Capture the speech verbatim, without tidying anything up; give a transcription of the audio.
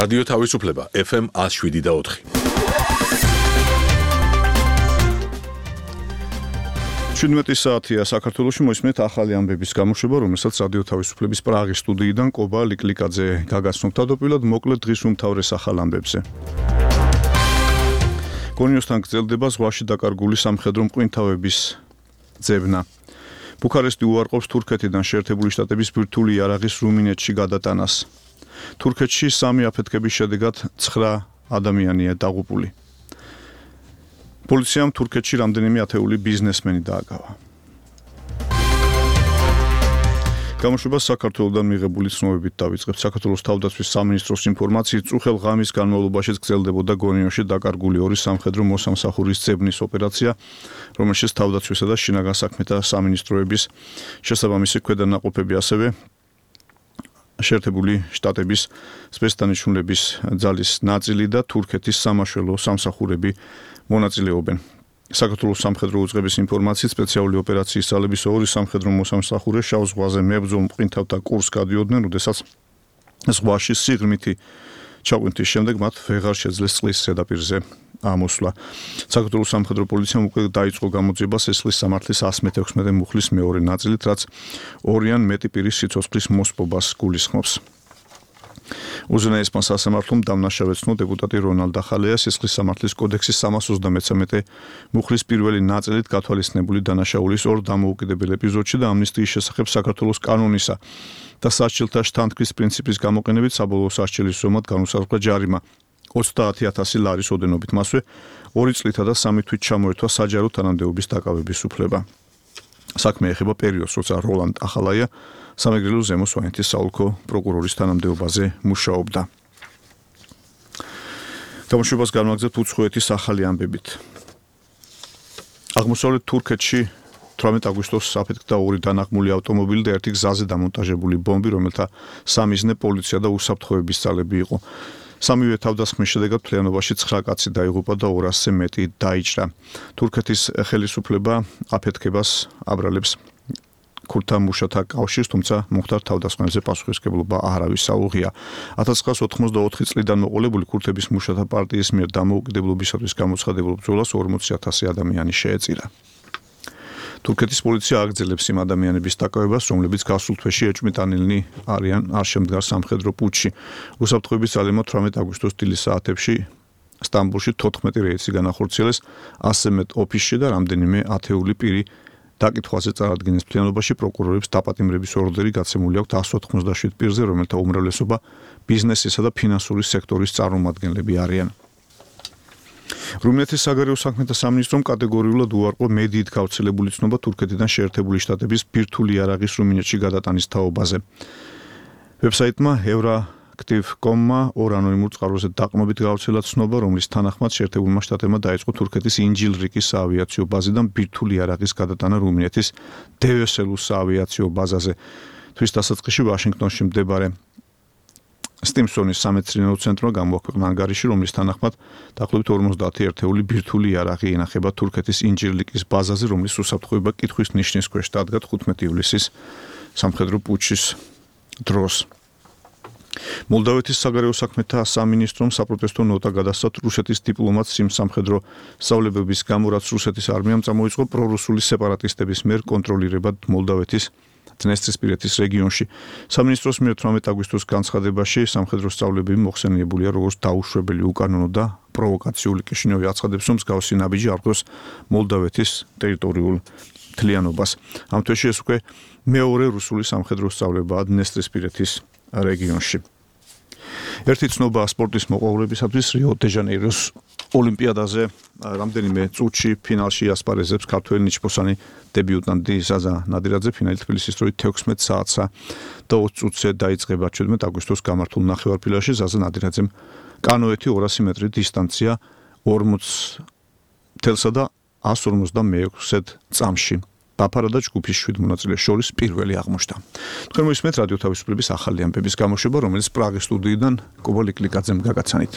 რადიო თავისუფლება ეფ ემ ათს შვიდი და ოთხი. შვიდმეტი საათია საქართველოში მოისმენთ ახალი ამბების გამოშვება, რომელსაც რადიო თავისუფლების პრაღის სტუდიიდან კობა ლიკლიკაძე გაგაცნობთ. თავდაპირველად მოკლედ დღის უმთავრეს ახალ ამბებზე. გონიოსთან გრძელდება ზღვაში დაკარგული სამხედრო მყინთავების ძებნა. ბუქარესტი უარყოფს თურქეთიდან შეერთებული შტატების ბირთვული იარაღის რუმინეთში გადატანას. თურქეთში სამი აფეთქების შედეგად ცხრა ადამიანია დაღუპული. პოლიციამ თურქეთში რამდენიმე ათეული ბიზნესმენი დააკავა. გამოშვება საქართველოსთან მიღებული ცნობებით დავიწყებთ. საქართველოს თავდაცვის სამინისტროს ინფორმაციით, წუხელ ღამის განმავლობაში გრძელდებოდა გონიოში დაკარგული ორი სამხედრო მოსამსახურის ძებნის ოპერაცია, რომელშიც თავდაცვისა და შინაგან საქმეთა სამინისტროების შესაბამისი ქვედანაყოფები, ასევე შეერთებული შტატების სპეცდანიშნულების ძალის ნაწილი და თურქეთის სამაშველო სამსახურები მონაწილეობენ. საქართველოს სამხედრო უწყების ინფორმაციით, სპეციალური ოპერაციის ძალების ორი სამხედრო მოსამსახურე შავ ზღვაზე მებრძოლ მყინთავთა კურსს გადიოდნენ, როდესაც ზღვაში სიღრმითი ჩაყვანტის შემდეგ მათ ვეღარ შეძლეს წყლის ზედაპირზე ამოსვლა. საქართველოს სამხედრო პოლიციამ უკვე დაიწყო გამოძიება სისხლის სამართლის ასი მეთექვსმეტე მუხლის მეორე ნაწილით, რაც ორი ან მეტი პირის სიცოცხლის მოსპობას გულისხმობს. უზენაესმა სასამართლომ დამნაშავეცნო დეპუტატი რონალდ ახალეა სისხლის სამართლის კოდექსის სამას ოცდამეცამეტე მუხლის პირველი ნაწილით გათვალისწინებული დანაშაულის ორ დამოუკიდებელ ეპიზოდში და ამნისტიის შესახებ საქართველოს კანონისა და სასჯელთა შთანთქმის პრინციპის გამოყენებით საბოლოო სასჯელის ზომად განუსაზღვრა ჯარიმა ოცდაათი ათასი ლარის ოდენობით. მასვე ორი წლითა და სამი თვით ჩამოერთვა საჯარო თანამდებობის დაკავების უფლება. საქმე ეხება პერიოდს, როცა როლანდ ახალაია სამეგრელო ზემო სვანეთის საოლქო პროკურორის თანამდებობაზე მუშაობდა. გამოშვებას განვაგრძებთ უცხოეთის ახალი ამბებით. აღმოსავლეთ თურქეთში თვრამეტ აგვისტოს აფეთქდა ორი დანაღმული ავტომობილი და ერთი გზაზე დამონტაჟებული ბომბი, რომელთა სამიზნე პოლიცია და უსაფრთხოების ძალები იყო. სამივე თავდასხმის შედეგად მთლიანობაში ცხრა კაცი დაიღუპა და ორასზე მეტი დაიჭრა. თურქეთის ხელისუფლება აფეთქებას აბრალებს ქურთა მუშათა კავშირს, თუმცა მომხდარ თავდასხმებზე პასუხისმგებლობა არავის აუღია. ათას ცხრაას ოთხმოცდაოთხი წლიდან მოყოლებული ქურთების მუშათა პარტიის მიერ დამოუკიდებლობისათვის გამოცხადებულ ბრძოლას ორმოცი ათასი ადამიანი შეეწირა. თურქეთის პოლიცია აგრძელებს იმ ადამიანების დაკავებას, რომლებიც გასულ თვეში ეჭვმიტანილნი არიან არ შემდგარ სამხედრო პუტჩში. უსაფრთხოების ძალებმა თვრამეტ აგვისტოს დილის საათებში სტამბოლში თოთხმეტი რეისი განახორციელეს, ასზე მეტ ოფისში და რამდენიმე ათეული პირი დაკითხვაზე წარადგინეს. მთლიანობაში პროკურორებს დაპატიმრების ორდერი გაცემული აქვთ ასი ოთხმოცდაშვიდ პირზე, რომელთა უმრავლესობა ბიზნესისა და ფინანსური სექტორის წარმომადგენლები არიან. რუმინეთის საგარეო საქმეთა სამინისტრომ კატეგორიულად უარყო მედიით გავრცელებული ცნობა თურქეთიდან შეერთებული შტატების ბირთვული იარაღის რუმინეთში გადატანის თაობაზე. ვებსაიტმა ევროაქტივ კრიტიკ точка კომ-მა ორ ანონიმურ წყაროზე დაყრდნობით გავრცელა ცნობა, რომლის თანახმად შეერთებულმა შტატებმა დაიწყო თურქეთის ინჯილრიკის საავიაციო ბაზიდან ბირთვული იარაღის გადატანა რუმინეთის დევესელუს საავიაციო ბაზაზე. თვის დასაწყისში ვაშინგტონში მდებარე სტიმსონის სამეცნიერო ცენტრმა გამოაქვეყნა ანგარიში, რომლის თანახმად დაახლოებით ორმოცდაათი ერთეული ბირთვული იარაღი ინახება თურქეთის ინჯილრიკის ბაზაზე, რომლის უსაფრთხოება კითხვის ნიშნის ქვეშ დადგა ხუთმეტი ივლისის სამხედრო პუტჩის დროს. მოლდავეთის საგარეო საქმეთა სამინისტრომ საპროტესტო ნოტა გადასცა რუსეთის დიპლომატს იმ სამხედრო სწავლებების გამო, რაც რუსეთის არმიამ წამოიწყო პრორუსული სეპარატისტების მიერ კონტროლირებად მოლდავეთის დნესტრისპირეთის რეგიონში. სამინისტროს მიერ თვრამეტ აგვისტოს განცხადებაში სამხედრო სწავლებები მოხსენიებულია როგორც დაუშვებელი, უკანონო და პროვოკაციული. კიშინიოვი აცხადებს, რომ მსგავსი ნაბიჯი არღვევს მოლდავეთის ტერიტორიულ მთლიანობას. ამ თვეში ეს უკვე მეორე რუსული სამხედრო სწავლებაა დნესტრისპირეთის რეგიონში. ერთი ცნობა სპორტის მოყვარულებისათვის რიო დე ჟანეიროს ოლიმპიადაზე რამდენიმე წუთში ფინალში ასპარეზებს ქართველი ნიჩბოსანი დებიუტანტი ზაზა ნადირაძე. ფინალი თბილისის დროით თექვსმეტ საათსა და ოცი წუთზე დაიწყება. ჩვიდმეტ აგვისტოს გამართულ ნახევარფინალში ზაზა ნადირაძემ კანოეთი ორასი მეტრი დისტანცია ორმოც თელსა და ასი ორმოცდამეექვსე წამში დაფარა და ჯგუფის შვიდ მონაწილეს შორის პირველი აღმოჩნდა. თქვენ მოისმენთ რადიო თავისუფლების ახალი ამბების გამოშვება, რომელიც პრაღის სტუდიიდან კობა ლიკლიკაძემ გაგაცანით.